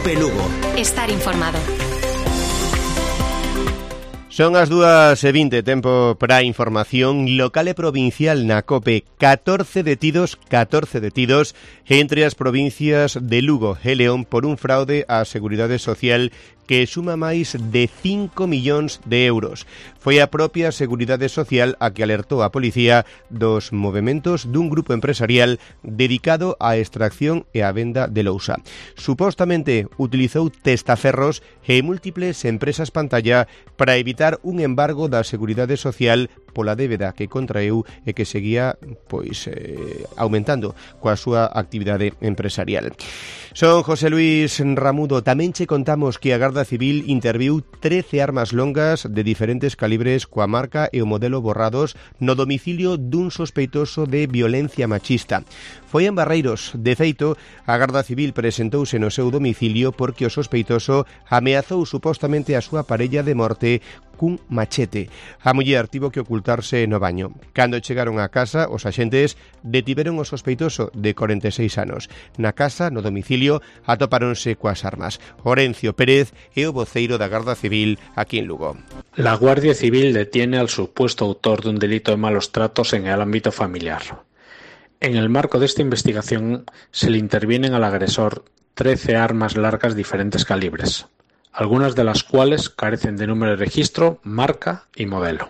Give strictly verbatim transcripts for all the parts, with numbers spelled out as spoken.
COPE Lugo. Estar informado. Son as dúas e vinte, tempo para a información local e provincial na COPE. catorce detidos, catorce detidos entre as provincias de Lugo e León por un fraude á Seguridade Social que suma máis de cinco millóns de euros. Foi a propia Seguridade Social a que alertou a policía dos movementos dun grupo empresarial dedicado á extracción e á venda de lousa. Supostamente utilizou testaferros e múltiples empresas pantalla para evitar un embargo da Seguridade Social pola débeda que contraeu e que seguía pois eh, aumentando coa súa actividade empresarial. Son José Luis Ramudo. Tamén che contamos que a Garda Civil interviu trece armas longas de diferentes calibres coa marca e o modelo borrados no domicilio dun sospeitoso de violencia machista. Foi en Barreiros. De feito, a Garda Civil presentouse no seu domicilio porque o sospeitoso ameazou supostamente a súa parella de morte cun machete. A muller tivo que ocultarse no baño. Cando chegaron á casa, os axentes detiveron o sospeitoso de corenta e seis anos. Na casa, no domicilio, atopáronse coas armas. Orencio Pérez é o voceiro da Garda Civil aquí en Lugo. La Guardia Civil detiene al supuesto autor de un delito de malos tratos en el ámbito familiar. En el marco de esta investigación se le intervienen al agresor trece armas largas de diferentes calibres, algunas de las cuales carecen de número de registro, marca y modelo.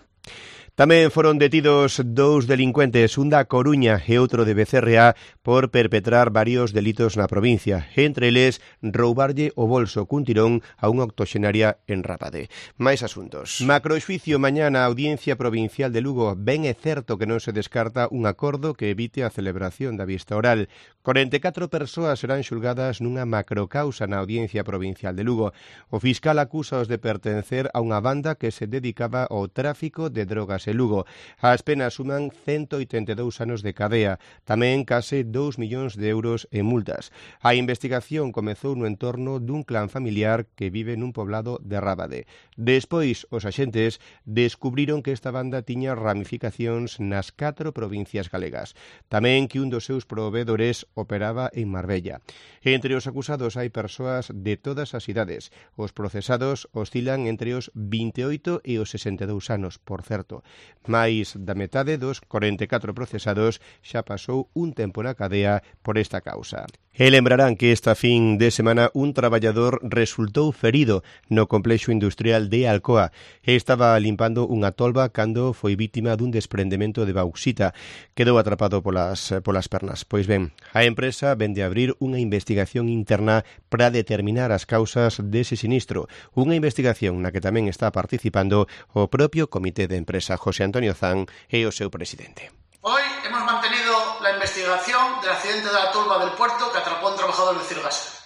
Tamén foron detidos dous delincuentes, un da Coruña e outro de Becerreá, por perpetrar varios delitos na provincia, entre eles roubarlle o bolso cun tirón a unha octoxenaria en Rábade. Mais asuntos. Macroxuicio mañá na Audiencia Provincial de Lugo. Ben é certo que non se descarta un acordo que evite a celebración da vista oral. corenta e catro persoas serán xulgadas nunha macrocausa na Audiencia Provincial de Lugo. O fiscal acusa os de pertencer a unha banda que se dedicaba ao tráfico de drogas e Lugo. As penas suman ciento oitenta e dous anos de cadea, tamén case dous millóns de euros en multas. A investigación comezou no entorno dun clan familiar que vive nun poblado de Rábade. Despois, os axentes descubriron que esta banda tiña ramificacións nas catro provincias galegas. Tamén que un dos seus provedores operaba en Marbella. Entre os acusados hai persoas de todas as idades. Os procesados oscilan entre os vinte e oito e os sesenta e dous anos, por certo. Mais da metade dos corenta e catro procesados xa pasou un tempo na cadea por esta causa. E lembrarán que esta fin de semana un traballador resultou ferido no complexo industrial de Alcoa. Estaba limpando unha tolva cando foi vítima dun desprendemento de bauxita. Quedou atrapado polas, polas pernas. Pois ben, a empresa vende a abrir unha investigación interna para determinar as causas dese sinistro. Unha investigación na que tamén está participando o propio comité de empresa. José Antonio Zan é o seu presidente. Hoy hemos mantenido la investigación del accidente de la tolva del puerto que atrapó a un trabajador de Cirgasa.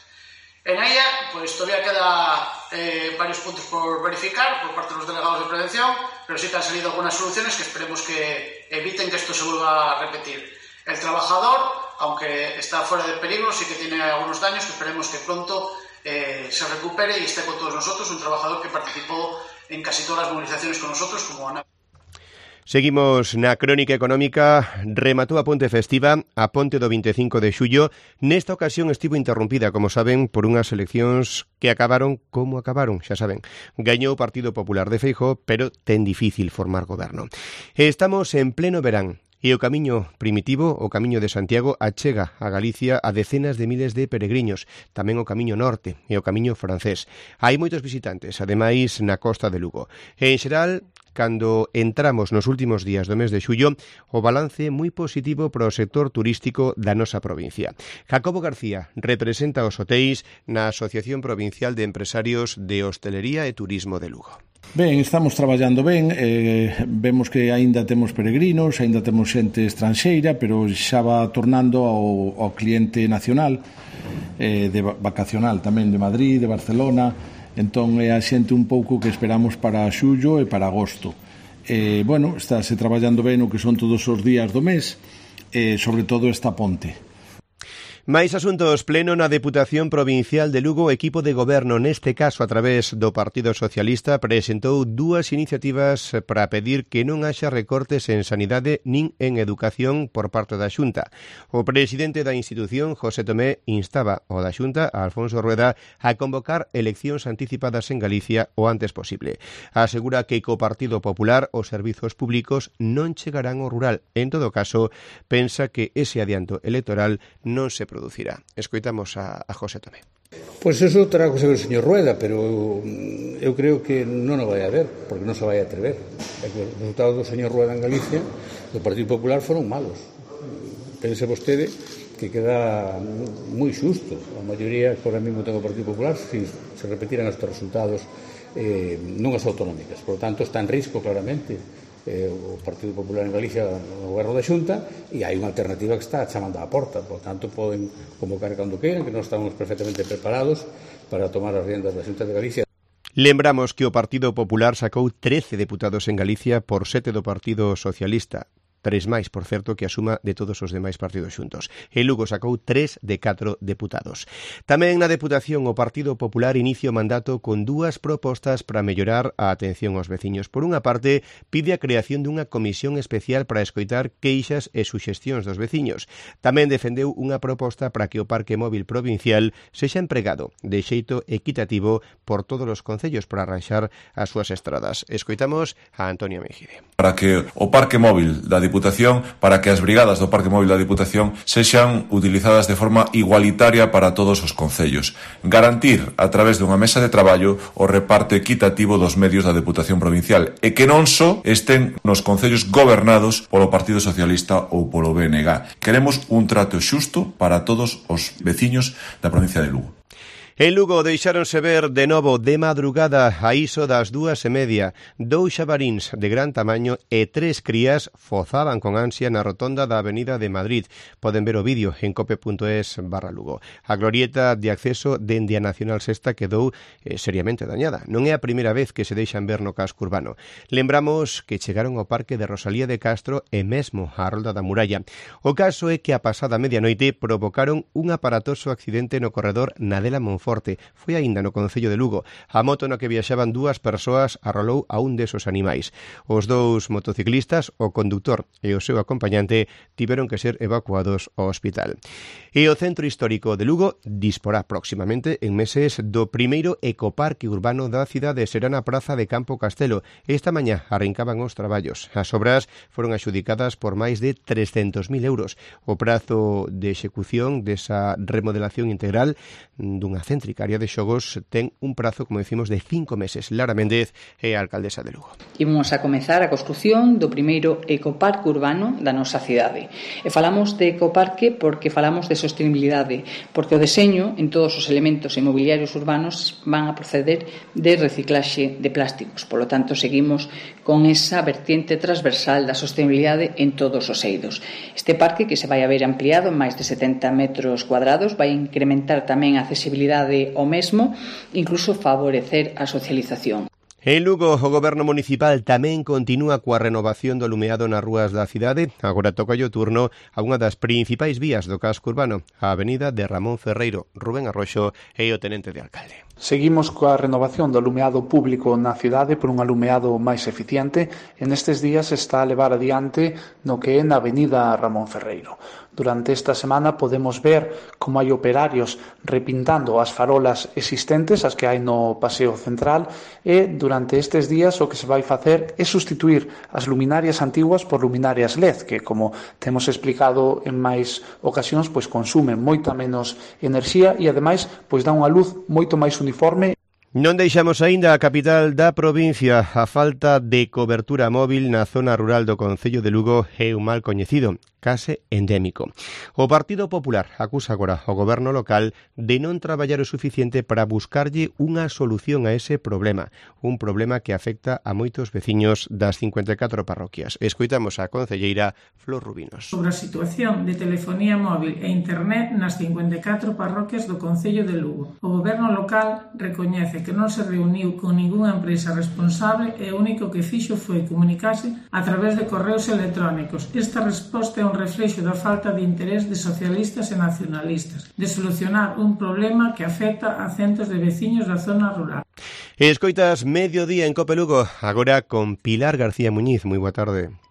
En ella, pues todavía queda eh, varios puntos por verificar por parte de los delegados de prevención, pero sí que han salido algunas soluciones que esperemos que eviten que esto se vuelva a repetir. El trabajador, aunque está fuera de peligro, sí que tiene algunos daños que esperemos que pronto eh, se recupere y esté con todos nosotros. Un trabajador que participó en casi todas las movilizaciones con nosotros, como Ana. Seguimos na crónica económica. Rematou a ponte festiva, a ponte do vinte e cinco de xullo. Nesta ocasión estivo interrompida, como saben, por unhas eleccións que acabaron como acabaron, xa saben. Gañou o Partido Popular de Feijóo, pero ten difícil formar goberno. Estamos en pleno verán. E o camiño primitivo, o camiño de Santiago, achega a Galicia a decenas de miles de peregrinos, tamén o camiño norte e o camiño francés. Hai moitos visitantes, ademais na costa de Lugo. E, en xeral, cando entramos nos últimos días do mes de xullo, o balance moi positivo para o sector turístico da nosa provincia. Jacobo García representa os hotéis na Asociación Provincial de Empresarios de Hostelería e Turismo de Lugo. Ben, estamos traballando ben, eh, vemos que aínda temos peregrinos, aínda temos xente estranxeira, pero xa va tornando ao, ao cliente nacional, eh, de vacacional tamén de Madrid, de Barcelona, entón é a xente un pouco que esperamos para xullo e para agosto. Eh, bueno, estáse traballando ben o que son todos os días do mes, eh, sobre todo esta ponte. Máis asuntos. Pleno na Deputación Provincial de Lugo. O equipo de goberno, neste caso a través do Partido Socialista, presentou dúas iniciativas para pedir que non haxa recortes en sanidade nin en educación por parte da Xunta. O presidente da institución, José Tomé, instaba ao da Xunta, a Alfonso Rueda, a convocar eleccións anticipadas en Galicia o antes posible. Asegura que co Partido Popular os servizos públicos non chegarán ao rural. En todo caso, pensa que ese adianto electoral non se producirá. Escoitamos a, a José Tomé. Pois pues eso terá que ser o señor Rueda, pero eu creo que non o vai a ver, porque non se vai a atrever. É que os resultados do señor Rueda en Galicia do Partido Popular foron malos. Pense vostede que queda moi xusto. A maioría que ahora mesmo ten o Partido Popular, se, se repetiran estes resultados eh, nunhas autonómicas. Por lo tanto, está en risco claramente eh, o Partido Popular en Galicia no goberno da Xunta, e hai unha alternativa que está chamando á porta. Por tanto, poden convocar cando queiran, que nós estamos perfectamente preparados para tomar as riendas da Xunta de Galicia. Lembramos que o Partido Popular sacou trece deputados en Galicia por sete do Partido Socialista. Tres máis, por certo, que a suma de todos os demais partidos xuntos. En Lugo sacou tres de catro deputados. Tamén na Deputación o Partido Popular inicia o mandato con dúas propostas para mellorar a atención aos veciños. Por unha parte, pide a creación dunha comisión especial para escoitar queixas e suxestións dos veciños. Tamén defendeu unha proposta para que o Parque Móvil Provincial sexa empregado de xeito equitativo por todos os concellos para arranxar as súas estradas. Escoitamos a Antonio Mejide. Para que o Parque Móvil da Diputación, para que as brigadas do Parque Móvil da Diputación sexan utilizadas de forma igualitaria para todos os concellos. Garantir, a través dunha mesa de traballo, o reparto equitativo dos medios da Deputación Provincial e que non só estén nos concellos gobernados polo Partido Socialista ou polo B N G. Queremos un trato xusto para todos os veciños da provincia de Lugo. En Lugo deixáronse ver de novo de madrugada a iso das dúas e media. Dous xabaríns de gran tamaño e tres crías fozaban con ansia na rotonda da Avenida de Madrid. Poden ver o vídeo en cope.es barra Lugo. A glorieta de acceso dende a Nacional Sexta quedou eh, seriamente dañada. Non é a primeira vez que se deixan ver no casco urbano. Lembramos que chegaron ao Parque de Rosalía de Castro e mesmo á Rolda da Muralla. O caso é que a pasada medianoite provocaron un aparatoso accidente no corredor Nadela Monforte. Forte. Foi aínda no concello de Lugo. A moto na que viaxaban dúas persoas arrolou a un desos animais. Os dous motociclistas, o conductor e o seu acompañante, tiveron que ser evacuados ao hospital. E o Centro Histórico de Lugo disporá próximamente en meses do primeiro ecoparque urbano da cidade. Será na Praza de Campo Castelo. Esta mañá arrincaban os traballos. As obras foron adxudicadas por máis de trescentos mil euros. O prazo de execución desa remodelación integral dunha céntrica área de xogos ten un prazo, como decimos, de cinco meses. Lara Méndez é a alcaldesa de Lugo. Imos a comezar a construción do primeiro ecoparque urbano da nosa cidade. E falamos de ecoparque porque falamos de sostenibilidade, porque o deseño en todos os elementos inmobiliarios urbanos van a proceder de reciclaxe de plásticos. Por lo tanto, seguimos con esa vertiente transversal da sostenibilidade en todos os eidos. Este parque, que se vai a ver ampliado en máis de setenta metros cuadrados, vai incrementar tamén a accesibilidade ao mesmo, incluso favorecer a socialización. En Lugo, o Goberno Municipal tamén continúa coa renovación do alumeado nas rúas da cidade. Agora toca o turno a unha das principais vías do casco urbano, a avenida de Ramón Ferreiro. Rubén Arroxo é o tenente de alcalde. Seguimos coa renovación do alumeado público na cidade por un alumeado máis eficiente e nestes días está a levar adiante no que é na avenida Ramón Ferreiro. Durante esta semana podemos ver como hai operarios repintando as farolas existentes, as que hai no Paseo Central, e durante estes días o que se vai facer é sustituir as luminarias antiguas por luminarias L E D, que, como temos explicado en máis ocasións, pois consumen moita menos enerxía e, ademais, pois dá unha luz moito máis uniforme. Non deixamos aínda a capital da provincia. A falta de cobertura móvil na zona rural do concello de Lugo é un mal coñecido, case endémico. O Partido Popular acusa agora ao goberno local de non traballar o suficiente para buscarlle unha solución a ese problema, un problema que afecta a moitos veciños das cincuenta e catro parroquias. Escoitamos a concelleira Flor Rubinos. Sobre a situación de telefonía móvil e internet nas cincuenta e catro parroquias do concello de Lugo. O goberno local recoñece que non se reuniu con ningunha empresa responsable e o único que fixo foi comunicarse a través de correos electrónicos. Esta resposta é un reflexo da falta de interés de socialistas e nacionalistas de solucionar un problema que afecta a centos de veciños da zona rural. Escoitas Mediodía en Cope Lugo, agora con Pilar García Muñiz. Moi boa tarde.